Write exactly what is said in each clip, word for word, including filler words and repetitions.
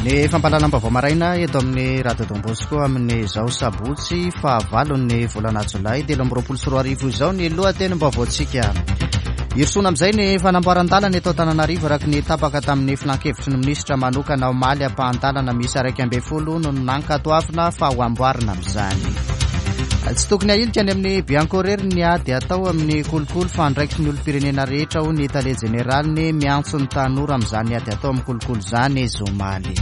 Ny fampahalalam-baovao maraina eto amin'ny Radio Don Bosco amin'izao sabotsy fahavalon'ny volana jolay telo amby roapolo sy roa arivo izao ny lohatenim-baovaontsika. Hirosoana amin'izay ny fanamboaran-dalana eto Antananarivo araka ny tapaka tamin'ny filankevitry ny minisitra manokana omaly. Ampahan-dalana miisa iraika ambin'ny folo no nankatoavina fa ho amboarina amin'izany. Tsy tokony ahilika any amin'ny Bianco irery ny ady atao amin'ny kolikoly fa andraikitry ny olom-pirenena rehetra, hoy ny tale jeneraliny. Miantso ny tanora amin'izany ady atao amin'ny kolikoly izany izy omaly.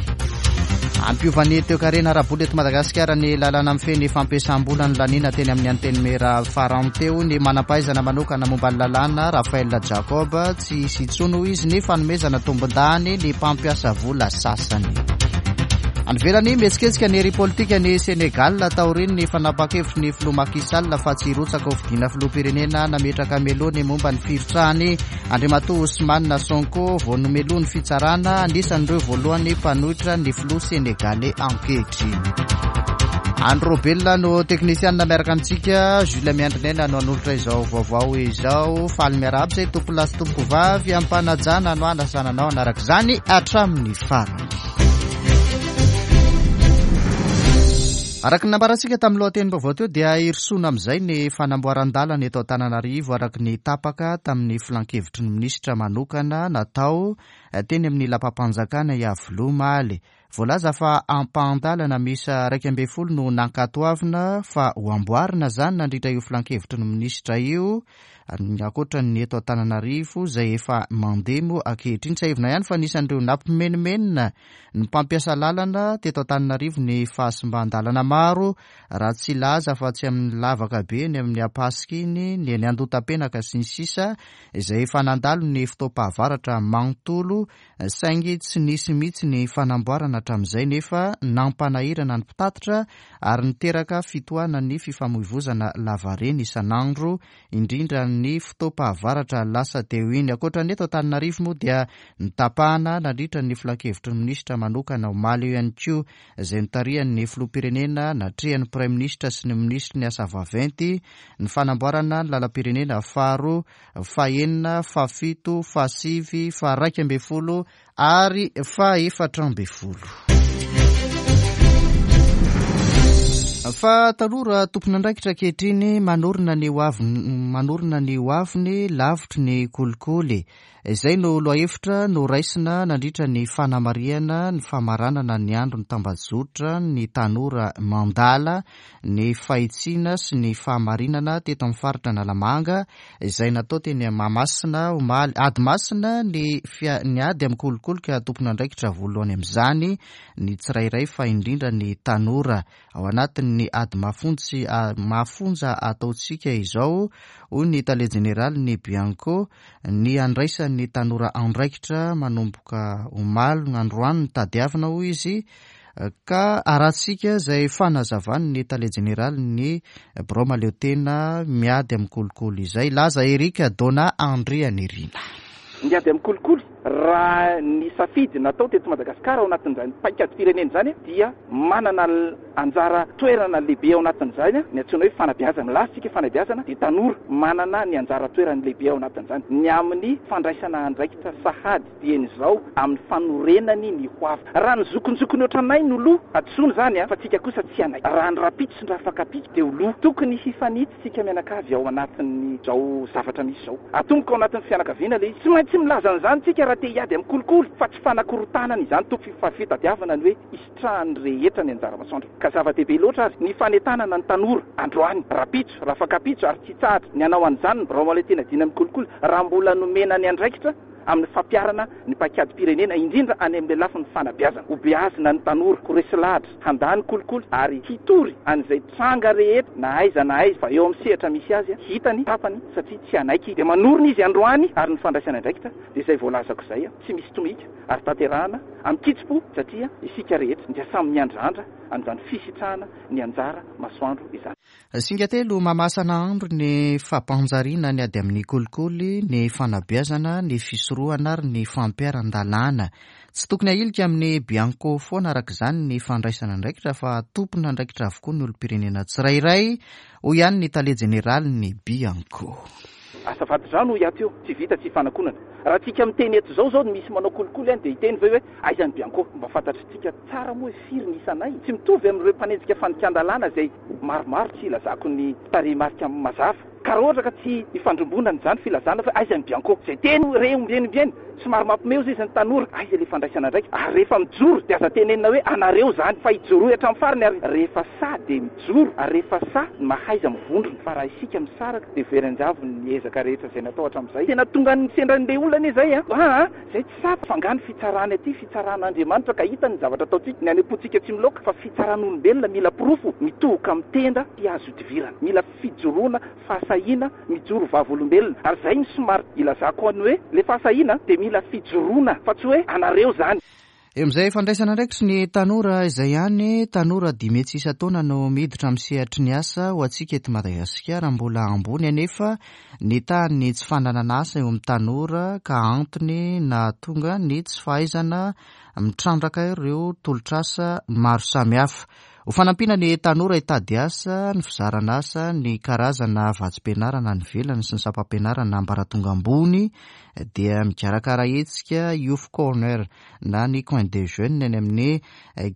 Hampiova ny toekarena ara-bola eto Madagasikara ny lalàna mifehy ny fampiasam-bola ny lanina teny amin'ny Antenimiera farany teo. Ny manam-pahaizana manokana momba ny lalàna, Raphaël Jacob, tsy hisy intsony, hoy izy, ny fanomezana tombon-dany ny mpampiasa vola sasany. Any ivelany, mihetsiketsika ny hery politika ny Sénégal taorian'ny fanapahan-kevitry ny filoha Macky Sall fa tsy hirotsaka ho fidiana filoham-pirenena. Nametraka melohiny momba ny firotsahany Andriamatoa Ousmane Sonko vao nomelohin'ny fitsarana, anisan'ireo voalohany mpanohitra ny filoha sénégalais ankehitriny. Andro Robelona no teknisianina miaraka amintsika, Jules Miandrinena no hanolotra izao vaovao izao. Faly miarahaba izay tompolahy sy tompovavy ampanajana no anasananao hanaraka izany hatramin'ny farany. Araka ny nambarantsika tamin'ny lohatenim-baovao teo dia hirosoana amin'izay ny fanamboaran-dalana eto Antananarivo araka ny tapaka tamin'ny filankevitry ny minisitra manokana natao teny amin'ny lapam-panjakana Iavoloha omaly. Voalaza fa ampahan-dalana miisa iraika ambin'ny folo no nankatoavina fa ho amboarina izany nandritra io filankevitry ny minisitra io, ankoatra ny eto Antananarivo izay efa mandeha moa ankehitriny. Tsiahivina ihany fa anisan'ireo nampimenomenona ny mpampiasa lalana teto Antananarivo ny fahasimban-dalana maro, raha tsy hilaza fa tsy amin'ny lavaka be ny amin'ny Ampasika iny, ny eny Andohatapenaka sy ny sisa, izay efa nandalo ny fotoam-pahavaratra manontolo, saingy tsy nisy mihitsy ny fanamboarana hatramin'izay nefa nampanahirana ny mpitatitra ary niteraka fitohanan'ny fifamoivozana lavareny isan'andro, indrindra ny fotoam-pahavaratra lasa teo iny. Ankoatra ny eto Antananarivo moa dia nitapahana nandritra ny filankevitry ny minisitra manokana omaly io ihany koa, izay notarihan'ny filoham-pirenena natrehan'ny praiminisitra sy ny minisitry ny asa vaventy, ny fanamboarana ny lalam-pirenena faharoa, fahenina, fahafito, fahasivy, faharaika ambin'ny folo ary fahaefatra ambin'ny folo. Fa tanora tompon'andraikitra ankehitriny manorina ny ho aviny, manorina ny ho aviny lavitry ny kolikoly. Izay no lohahevitra noraisina nandritra ny fanamarihana ny famaranana ny andro ny tambajotra ny tanora mandala ny fahitsiana sy ny fahamarinana teto amin'ny faritra Analamanga, izay natao teny Mahamasina omaly. Ady masina ny fia-, ny ady amin'ny kolikoly ka tompon'andraikitra voalohany amin'izany ny tsirairay fa indrindra ny tanora. Ao anatin'ny ady mafontsy, a, mafonja ataontsika izao, hoy ny tale jeneraly ny Bianco, ny andraisan'ny tanora andraikitra manomboka omaly androany ny tadiavina, hoy izy, ka arahantsika izay fanazavan'ny tale jeneraly ny birao mahaleotena miady amin'ny kolikoly izay. Laza Eric Dona Andrianirina. Ny ady amin'ny kolikoly, raha ny safidy natao teto Madagasikara ao anatin'izany paikady firenena izany dia manana anjara toerana lehibe ao anatin'izany ny antsoina hoe fanabeazana. Milaza isika fanabeazana dia tanora manana ny anjara toerany lehibe ao anatin'izany. Ny amin'ny fandraisana andraikitra sahady dieny izao amin'ny fanorenany ny ho avy. Raha ny zokinjokiny ohatranay no loha, hadisoana izany fa tsika kosa tsy hanaiky. Raha ny rapitso sy ny rafakapitso dia ho loha. Tokony hifanitsy tsika mianakavy ao anatin'izao zavatra misy izao. Atomboka ao anatin'ny fianakaviana ilay izy. Tsy maintsy milaza an'izany tsika raha te hiady amin'ny kolikoly, fa tsy fanakorontanana izany tompo fa fitadiavana ny hoe isitrahan'ny rehetra ny anjara masoandro. Ka zava-dehibe loatra ary ny fanentanana ny tanora androany, rapitso, rafakapitso ary tsy hitsahatra ny hanao an'izany ny birao mahaleotena dina amin'ny kolikoly raha mbola nomena ny andraikitra amin'ny fampiharana ny paikady-pirenena, indrindra any amin'ny lafiny fanabeazana. Ho beazina ny tanora, ho resy lahatra, handà ny kolikoly ary hitory an'izay tranga rehetra na aiza na aiza fa eo amin'ny sehatra misy azy, hitany, tapany, satria tsy hanaiky. Dia manorina izy androany ary ny fandraisana andraikitra dia izay voalazako izay, tsy misy tomika ary tanterahana amin'ny kitsim-po satria isika rehetra dia samy miandrandra an'izany fisitrahana ny anjara masoandro izany. Singa telo mamasana andro ny fampanjariana ny ady amin'ny kolikoly, ny fanabeazana, ny fisorohana ary ny fampiharan-dalàna. Tsy tokony ahilika amin'ny Bianco foana araka izany ny fandraisana andraikitra fa tompon'andraikitra avokoa ny olom-pirenena tsirairay, hoy ihany ny tale jeneraly ny Bianco. Asa vadi-drano hoy aho teo, tsy vita tsy fanakonana. Raha tsika miteny eto zao zao misy manao kolikoly any dia hiteny ve hoe aiza ny Bianco? Mba fantatritsika tsara moa hoe firy ny isanay. Tsy mitovy amin'ireo mpanenjika fandikan-dalàna izay maromaro tsy ilazako ny tarehimarika mazava. Ka raha ohatra ka tsy ifandrombonana izany filazana fa aiza ny Bianco? Izay teny re ombieny ombieny, somary mampimehy izy ny tanora, aiza ilay fandraisana andraikitra? Ary rehefa mijoro dia aza tenenina hoe anareo izany, fa ijoroy hatramin'ny farany. Ary rehefa sahy dia mijoro, ary rehefa sahy mahaiza mivondrona. Fa raha isika misaraka dia very an-javony ny ezaka rehetra izay natao hatramin'izay. Tena tonga ny sendran'ilay olona anie izay a. Ah, izay tsy sahy fa nga ny fitsarana aty, fitsaran'Andriamanitra ka hita ny zavatra ataontsika, ny any am-pontsika tsy miloaka, fa fitsaran'olombelona mila porofo mitohoka amin'ny tenda sy azo idivirana. Mila fijoroana, fahasahiana, mijoro vavolombelona. Ary izay no somary ilazako any hoe le fahasahiana dia mila fijoroana fa tsy hoe anareo zany. Eo amin'izay fandraisana andraikitry ny tanora izay ihany, tanora dimy hetsy isan-taona no miditra amin'ny sehatry ny asa ho antsika eto Madagasikara. Mbola ambony anefa ny tahan'ny tsy fananana asa eo amin'ny tanora ka antony nahatonga ny tsy fahaizana mitrandraka ireo tolotr'asa maro samihafa. Ho fanampiana ny tanora hitady asa, ny fizarana asa, ny karazana vatsim-pianarana any ivelany sy ny sampam-pianarana ambaratonga ambony dia mikarakara hetsika Youth Corner na ny Coin des Jeunes any amin'ny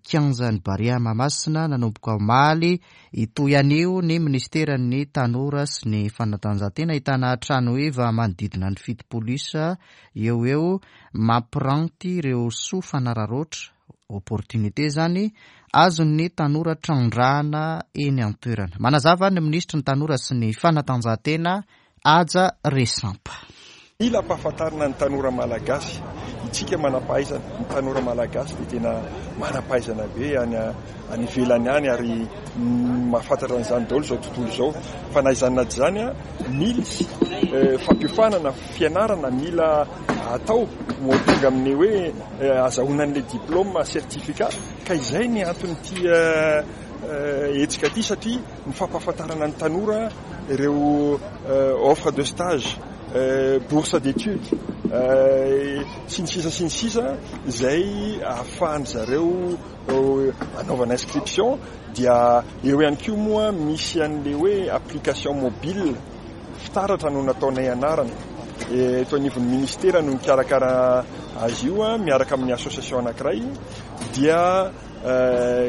kianjan'ny Barea Mahamasina nanomboka omaly. Hitohy anio ny ministeran'ny tanora sy ny fanatanjahantena, ahitana trano heva manodidina ny fitopolo isa eo eo mampiranty ireo soa fanararaotra, opportunité zany azon'ny tanora trandrahana eny an-toerana. Manazava ny minisitry ny tanora sy ny fanatanjahantena, Haja Resampa. Mila ampahafantarina ny tanora malagasy. Itsika manam-pahaizana, ny tanora malagasy dia tena manam-pahaizana be any any ivelany any ary mahafantatra an'izany daholo izao tontolo izao. Fa na izany na tsy izany, mila fampiofanana, fianarana mila atao ho tonga amin'ny hoe azahoana an'ilay diplôme, certificat. Ka izay ny anton'ity hetsika ity, satria ny fampahafantarana ny tanora ireo offre de stage, bourse d'études sy ny sisa sy ny sisa izay ahafahany zareo anaovana inscription. Dia eo ihany koa moa misy an'le hoe application mobile fitaratra no nataonay anarana eto anivon'ny ministera no mikarakara azy io miaraka amin'ny association anankiray. Dia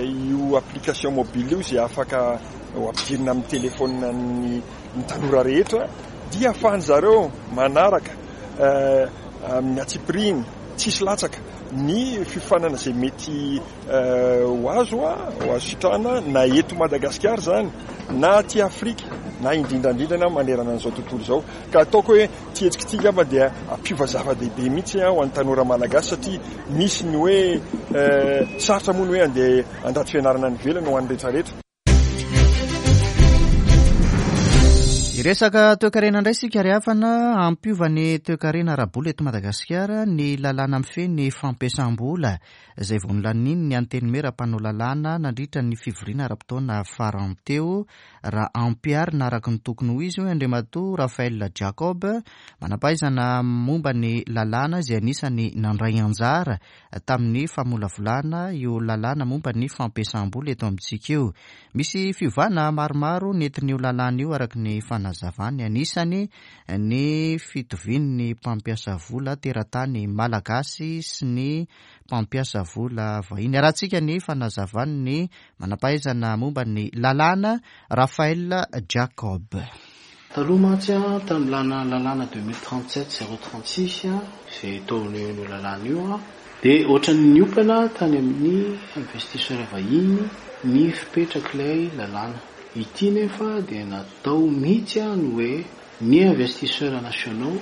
io application mobile io izay afaka ho ampidirina amin'ny telefona ny tanora rehetra dia ahafahany zareo manaraka amin'ny antsipiriany tsisy latsaka ny fiofanana izay mety ho azo ho azo sitrahana na eto Madagasikara izany na aty Afrika na indrindrandrindrana manerana an'izao tontolo izao. Ka ataoko hoe ty hetsika ity angamba dia ampiova zava-dehibe mihitsy ho an'ny tanora malagasy, satria misy ny hoe sarotra moa ny hoe andeha andrato fianarana any ivelany ho an'ny rehetrarehetra. Hiresaka toekarena indray isika ry havana. Hampiova ny toekarena ara-bola eto Madagasikara ny lalàna mifehy ny fampiasam-bola izay vao nolaniny ny antenimiera mpanao lalàna nandritra ny fivoriana ara-potoana farany teo. Raha ampiharina araka ny tokony ho izy, hoy Andriamatoa Raphaël Jacob, manam-pahaizana momba ny lalàna izay anisany nandray anjara tamin'ny famolavolana io lalàna momba ny fampiasam-bola eto amintsika io. Misy fiovana maromaro nentin'io lalàna io araka ny fanazavany, anisany ny fitovian'ny mpampiasa vola teratany malagasy sy ny mpampiasa vola vahiny. Arahantsika ny fanazavan'ny manam-pahaizana momba ny lalàna Raphaël Jacob. Taloha mantsy tamin'ny lalàna deux mille trente-sept zéro trente-six izay tao amin'io lalàna io dia ohatran'ny niompana tany amin'ny investisseur vahiny ny fipetrak'ilay lalàna. Ity nefa dia natao mihitsy ny hoe ny investisseur nationaux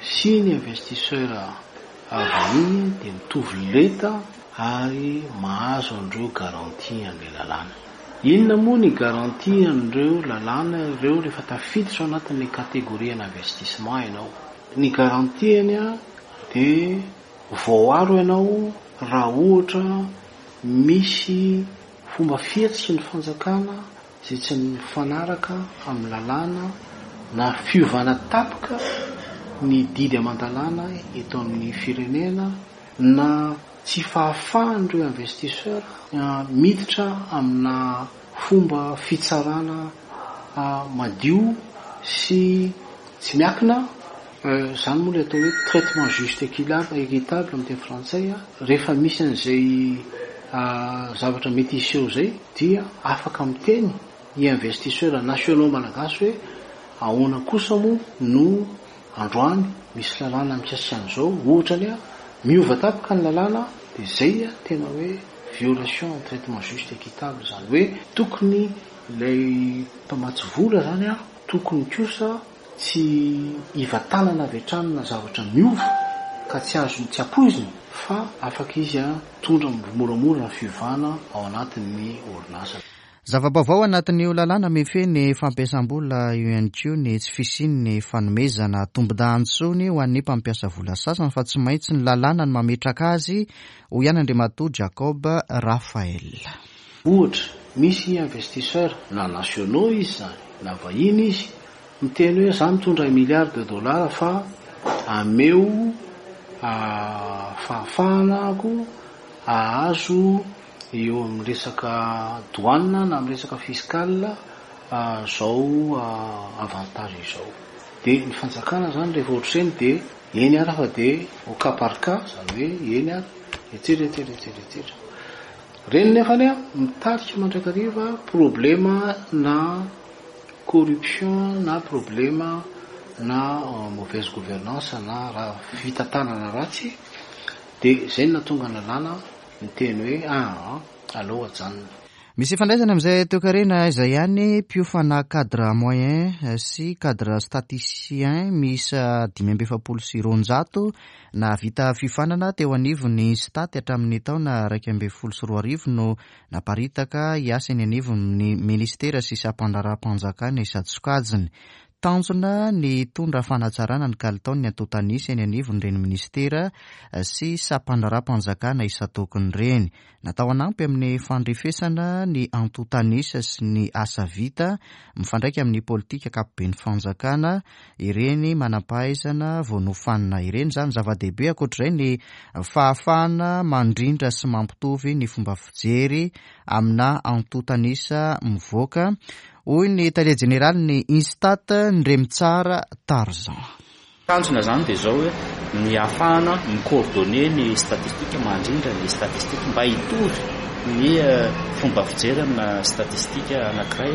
sy ny investisseur vahiny dia mitovy lenta ary mahazo an'ireo garantie an'ilay lalàna. Inona moa ny garantie an'ireo lalàna ireo rehefa tafiditra ao anatin'ny catégorie investissement ianao? Ny garantie-ny dia voaaro ianao raha ohatra misy fomba fihetsiky ny fanjakana izay tsy mifanaraka amin'ny lalàna na fiovana tampoka ny didy aman-dalàna eto amin'ny firenena na tsy fahafahan'ireo investisseur miditra amina fomba fitsarana madio sy Tsy miankina zany moa le atao hoe traitement juste, équitable amin'ny teny frantsay. Rehefa misy an'izay zavatra mety hiseho zay, dia afaka miteny ny investisseur nationaux malagasy hoe ahoana kosa moa no androany misy lalàna mikasika an'izao, ohatra ny a miova tapaka ny lalàna, de zay a tena hoe violation traitement juste, équitable. Zany hoe tokony ilay mpamatsy vola zany a tokony kosa tsy hivatanana avy hatrany na zavatra miova ka tsy azony, tsy ampoiziny, fa afaka izy a tondra moramora ny fiovana ao anatin'ny orinasa. Zava-baovao anatin'io lalàna mifehy ny fampiasam-bola io ihany koa ny tsy fisian'ny fanomezana tombon-dahiny intsony ho an'ny mpampiasa vola sasany, fa tsy maintsy ny lalàna no mametraka azy, hoy ihany Andriamatoa Jacob Raphael. Ohatra, misy investisseur na nationaux izy zany na vahiny izy miteny hoe za mitondra milliard de dollars fa ameo fahafahanako ahazo eo amin'ny resaka douane na amin'ny resaka fiscal zao avantage izao, de ny fanjakana zany rehefa ohatr' ireny de eny ara fa de au cas par cas, zany hoe eny ary etsetra etsetra etsetra etsetra reny, nefany a mitarika mandrakariva problema na corruption na problema na mauvaise gouvernance na raha fitantanana ratsy. De zay no nahatonga ny lalàna miteny hoe aa aleo ajanona. Misy ifandraisana amin'izay toekarena izay ihany, mpiofana cadre moyen sy cadre statisticien miisa dimy amby efapolo sy roanjato nahavita fiofanana teo anivon'ny INSTAT hatramin'ny taona iraika ambin'ny folo sy roa arivo no naparitaka hiasa eny anivon'ny ministera sy sampandraharaham-panjakana isan-tsokajiny. Tanjona ny hitondra fanatsarana ny kalitaon'ny antontanisa eny anivon'ireny ministera sy sampandraharaham-panjakana isan-tokony ireny. Natao hanampy amin'ny fandrefesana ny antontanisa sy ny asa vita mifandraika amin'ny politika ankapoben'ny fanjakana ireny manam-pahaizana vao nofanina ireny. Izany zava-dehibe. Ankoatr'izay, ny fahafahana mandrindra sy mampitovy ny fomba fijery amina antontanisa mivoaka, hoy ny tale jeneraly ny INSTAT, Ndremitsara Tarzan. Tanjona zany dia zao hoe ny ahafahana mi-coordonner ny statistique, mandrindra ny statistique mba hitovy ny fomba fijery amina statistique anankiray,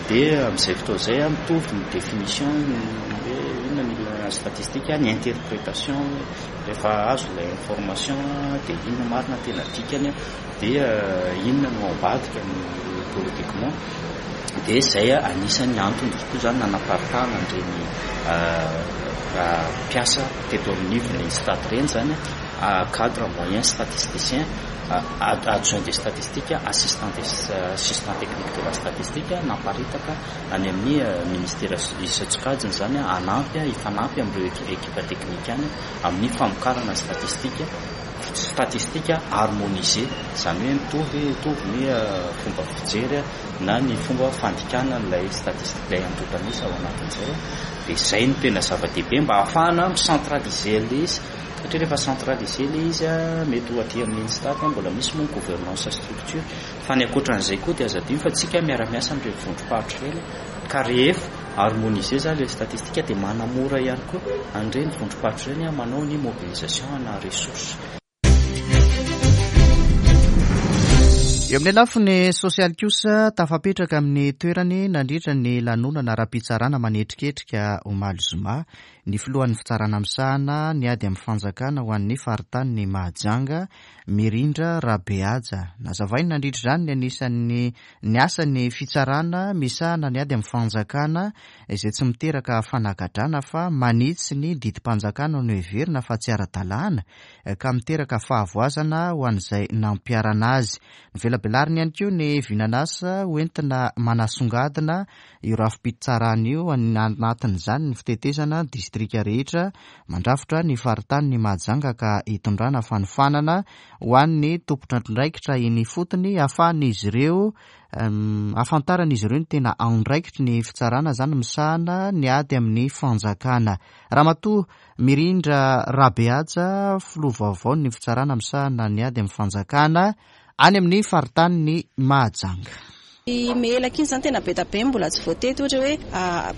dia amin'izay fotoana izay mitovy ny définition hoe inona ny ilana statistique, ny interprétation rehefa azo ilay information dia inona marina tena dikany, dia inona no ambadika ny politiquement. Dia zay anisan'ny antony tokoa zany nanaparitahana an'ireny mpiasa teto amin'ivon'ny INSTAT reny zany, cadre moyen statisticien, adjoint de statistique, assistant assistant technique de la statistique, naparitaka any amin'ny ministera isan-tsokajiny zany hanampy, hifanampy amin'ireo équipe technique any amin'ny famokarana statistique statistique harmonisé, zany hoe mitovy mitovy ny fomba fijery na ny fomba fandikana ilay statistique, ilay antontanisa ao anatin'izay. Dia zay no tena zava-dehibe mba ahafahana mi-centraliser ilay izy, satria rehefa centraliser ilay izy a mety ho aty amin'ny INSTAT mbola misy moa ny gouvernance structure, fa ny ankoatran'izay koa dia aza adino fa tsika miara-miasa amin'ireo vondrom-paritra ireny, ka rehefa harmoniser zany ilay statistique dia manamora ihany koa an'ireny vondrom-paritra ireny manao ny mobilisation na ressources. Eo amin'ny lafiny sosialy kosa, tafapetraka amin'ny toerany nandritra ny lanonana ara-pitsarana manetriketrika omaly zoma ny filohan'ny fitsarana misahana ny ady amin'ny fanjakana ho an'ny faritany Mahajanga, Mirindra Rabehaja. Nazavainy nandritra izany ny anisan'ny ny asan'ny fitsarana misahana ny ady amin'ny fanjakana izay tsy miteraka fanagadrana fa manitsy ny didim-panjakana no heverina fa tsy ara-dalàna ka miteraka fahavoazana ho an'izay nampiharana azy. Novelabelariny ihany koa ny vinanasa hoentina manasongadina io rafi-pitsarana io, anatin'izany ny fitetezana distrika rehetra mandrafitra ny faritany Mahajanga ka hitondrana fanofanana ho an'ny tompon'andraikitra eny ifotony ahafahan'izy ireo ahafantaran'izy ireo ny tena andraikitry ny fitsarana zany misahana ny ady amin'ny fanjakana. Ramatoa Mirindra Rabehaja, filoha vaovao ny fitsarana misahana ny ady amin'ny fanjakana any amin'ny faritany Mahajanga. Melaky iny izany tena be dia be mbola tsy voatety, ohatra hoe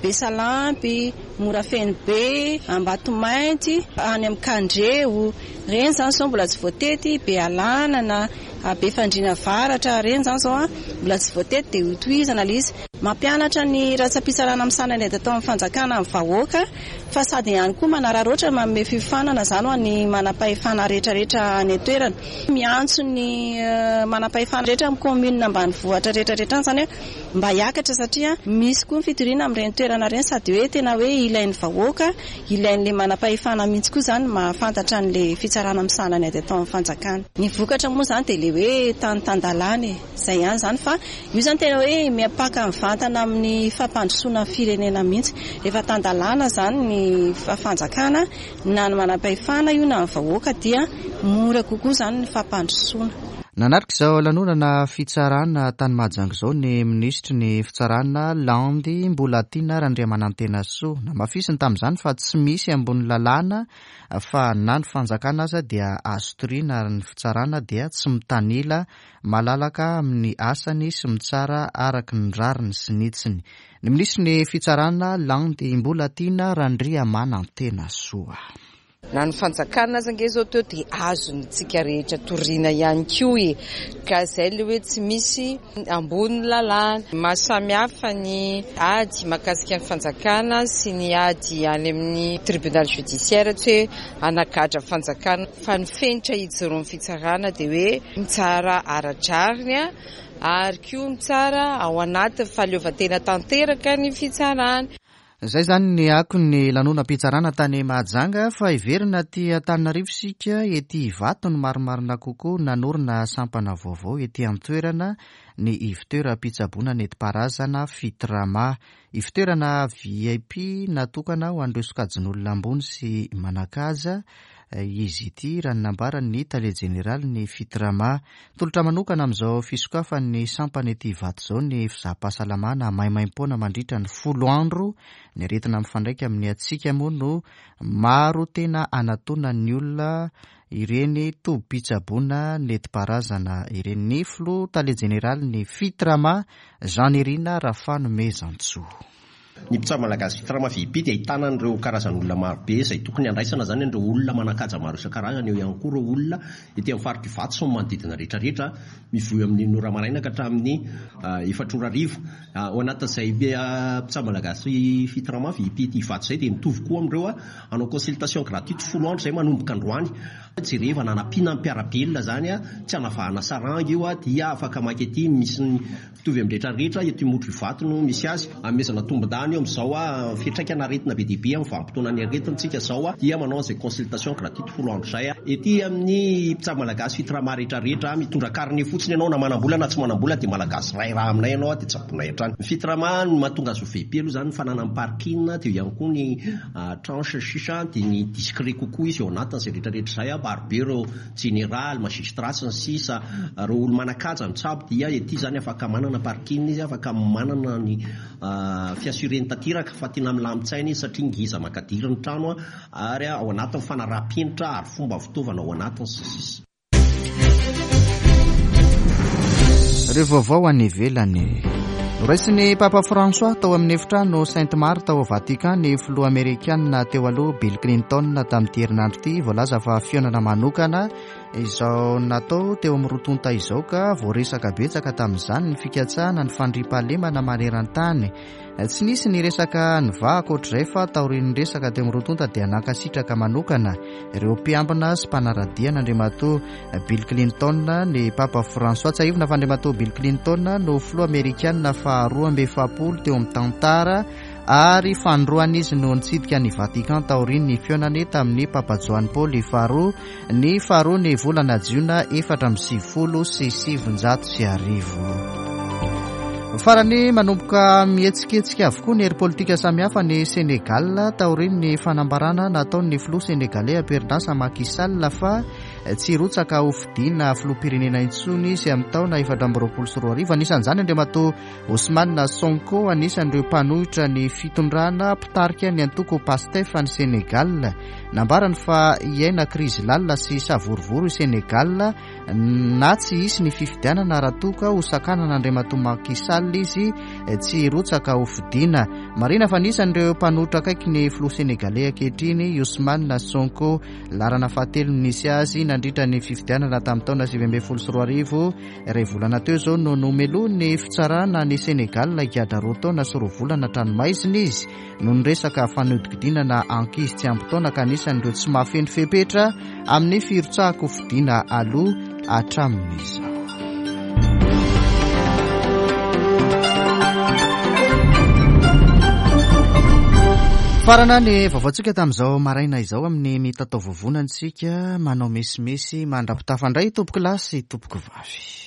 Besalampy, Morafenobe, Ambatomainty, any amin'ny Kandreo, ireny izany izao mbola tsy voatety, Bealanana, Befandriana Avaratra, ireny izany izao mbola tsy voatety dia hotohizana ilay izy. Mampianatra ny ratsam-pitsarana misahana ny ady atao amin'ny fanjakana amin'ny vahoaka, fa sady ihany koa manararaotra manome fiofanana izany ho an'ny manam-pahefana rehetrarehetra any an-toerana. Miantso ny manam-pahefana rehetra amin'ny commune ambanivohitra rehetrarehetra any izany mba hiakatra, satria misy koa ny fitoriana amin'ireny toerana ireny, sady hoe tena hoe ilain'ny vahoaka, ilain'ilay manam-pahefana mihitsy koa izany mahafantatra an'ilay fitsarana misahana ny ady atao amin'ny fanjakana. Ny vokatra moa izany dia ilay hoe tany tan-dalàna e, izay ihany izany, fa io izany tena hoe miampaka mivantana amin'ny fampandrosoana ny firenena mihitsy. Rehefa tan-dalàna izany ny fanjakana na ny manam-pahefana io na ny vahoaka dia mora kokoa izany ny fampandrosoana. Nanaraka izao lanonana fitsarana tany Mahajanga izao ny minisitry ny fitsarana Landy Mbolatiana Randriamanantenasoa. Namafisiny tamin'izany fa tsy misy ambony lalàna fa na ny fanjakana aza dia azo toriana ary ny fitsarana dia tsy mitanila, malalaka amin'ny asany sy mitsara araka ny rariny sy ny hitsiny. Ny minisitry ny fitsarana Landy Mbolatiana Randriamanantenasoa. Na ny fanjakana aza ange izao teo dia azontsika rehetra toriana ihany koa e, ka izay ilay hoe tsy misy ambony lalàna. Mahasamihafa ny ady mahakasika ny fanjakana sy ny ady any amin'ny tribunal judiciaire, tsy hoe anagadra fanjakana, fa ny fenitra hijoroan'ny fitsarana dia hoe mitsara ara-drariny ary koa mitsara ao anatin'ny fahaleovantena tanteraka ny fitsarana. Izay izany ny akon'ny lanonam-pitsarana tany Mahajanga, fa hiverina aty Antananarivo isika, ety Ivato ny marimarina kokoa. Nanorina sampana vaovao ety an-toerana ny ivon-toeram-pitsaboana nentim-paharazana Fitrama. Ivon-toerana V I P natokana ho an'ireo sokajin'olona ambony sy manan-kaja izy ity, raha ny nambaran'ny tale jeneraly ny Fitrama. Tolotra manokana amin'izao fisokafan'ny sampana ety Ivato izao ny fizaham-pahasalamana maimaimpoana mandritra ny folo andro. Ny aretina mifandraika amin'ny hatsiaka moa no maro tena anatonan'ny olona ireny tobim-pitsaboana nentim-paharazana ireny. Ny filoha tale jeneraly ny Fitrama, Jean Nirina Rafanomezantsoa. Ny mpitsabo malagasy Fitrama V I P dia ahitana an'ireo karazan'olona marobe izay tokony handraisana izany an'ireo olona manan-kaja maro isan-karazany, eo ihany koa ireo olona ety amin'ny faritra Ivato sy ny manodidina rehetrarehetra, mivoy amin'ny enina ora maraina ka hatramin'ny efatra ora hariva. Ao anatin'izay mpitsabo malagasy Fitrama V I P ety Ivato izay dia mitovy koa amin'ireo hanao consultation gratuite folo andro izay manomboka androany. Jerevana hanampiana ny mpiara-belona izany, tsy hanavahana saranga io, dia afaka maka ety misy ny mitovy amin'ny rehetrarehetra eto Imotro Ivato no misy azy. Anomezana tombon-dany eo amin'izao fiantraikana aretina be dia be amin'ny vanim-potoanan'ny aretina tsika izao, dia manao an'izay consultation gratuite folo andro izay. Ety amin'ny mpitsabo malagasy Fitrama rehetrarehetra, mitondra carnet fotsiny ianao na manam-bola na tsy manam-bola dia malagasy ray raha aminay ianao dia tsaboinay hatrany. Ny Fitrama no mahatonga azy ho V I P aloha izany, ny fananany parking, dia eo ihany koa ny tranche sisa, dia ny discret kokoa izy eo anatin'izay rehetrarehetra izay. Maro be ireo général, magistrat sy ny sisa, ireo olo manan-kaja mitsabo dia ety izany afaka manana parking izy, afaka manana ny fiassureny tanteraka fa tena milamin-tsaina izy satria ngeza makadiry ny trano ary ao anatin'ny fanaraha-penitra ary fomba fitaovana ao anatiny sy ny sisa. Ireo vaovao any ivelany. Noraisin'ny Papa François tao amin'ny efitrano Sainte Marthe ao Vatican ny filoha amerikana teo aloha Bill Clinton tamin'ity herinandro ity. Voalaza fa fihaonana manokana izao natao teo amin'ny roa tonta izao ka voaresaka betsaka tamin'izany ny fikatsahana ny fandriampahalemana maneran-tany. Tsy nisy ny resaka nivaha ankoatr'izay fa taorian'ny resaka teo amin'ny roa tonta dia nankasitraka manokana ireo mpiambina sy mpanara-dia an'Andriamatoa Bill Clinton ny Papa François. Tsiahivina fa Andriamatoa Bill Clinton no filoha amerikana faharoa amby efapolo teo amin'ny tantara ary fanindroany izy no nitsidika ny Vatican taorian'ny fihaonany tamin'ny Papa Joany Paoly faharoa ny faharoa ny volana jiona efatra amby sivifolo sy sivinjato sy arivo. Farany, manomboka mihetsiketsika avokoa ny hery politika samihafa ny Sénégal taorian'ny fanambarana nataon'ny filoha sénégalais am-perinasa Macky Sall fa tsy hirotsaka ho fidiana filoham-pirenena intsony izy amin'ny taona efatra amby roapolo sy roa arivo. Anisan'izany Andriamatoa Ousmane Sonko, anisan'ireo mpanohitra ny fitondrana mpitarika ny antoko Pastef any Sénégal. Nambarany fa hiaina krizy lalina sy savorovoro i Sénégal na tsy hisy ny fifidianana raha toa ka ho sakanana Andriamatoa Macky Sall izy tsy hirotsaka ho fidiana. Marina fa anisan'ireo mpanohitra akaiky ny filoha sénégalais ankehitriny Ousmane Sonko. Laharana fahatelo nisy azy nandritra ny fifidianana tamin'ny taona sivy ambin'ny folo sy roa arivo. Iray volana teo izao no nomelohin'ny fitsarana ny Sénégal higadra roa taona sy roa volana an-tranomaizina izy noho ny resaka fanodinkodinana ankizy tsy ampy taona ka anisan'ireo tsy mahafeno fepetra amin'ny firotsahako fidiana aloha hatramin'izao. Farana ny vaovaontsika tamin'izao maraina izao amin'ny mitatao vovonana isika manao mesimesy mandra-pitafa indray tompoko lahy sy tompoko vavy.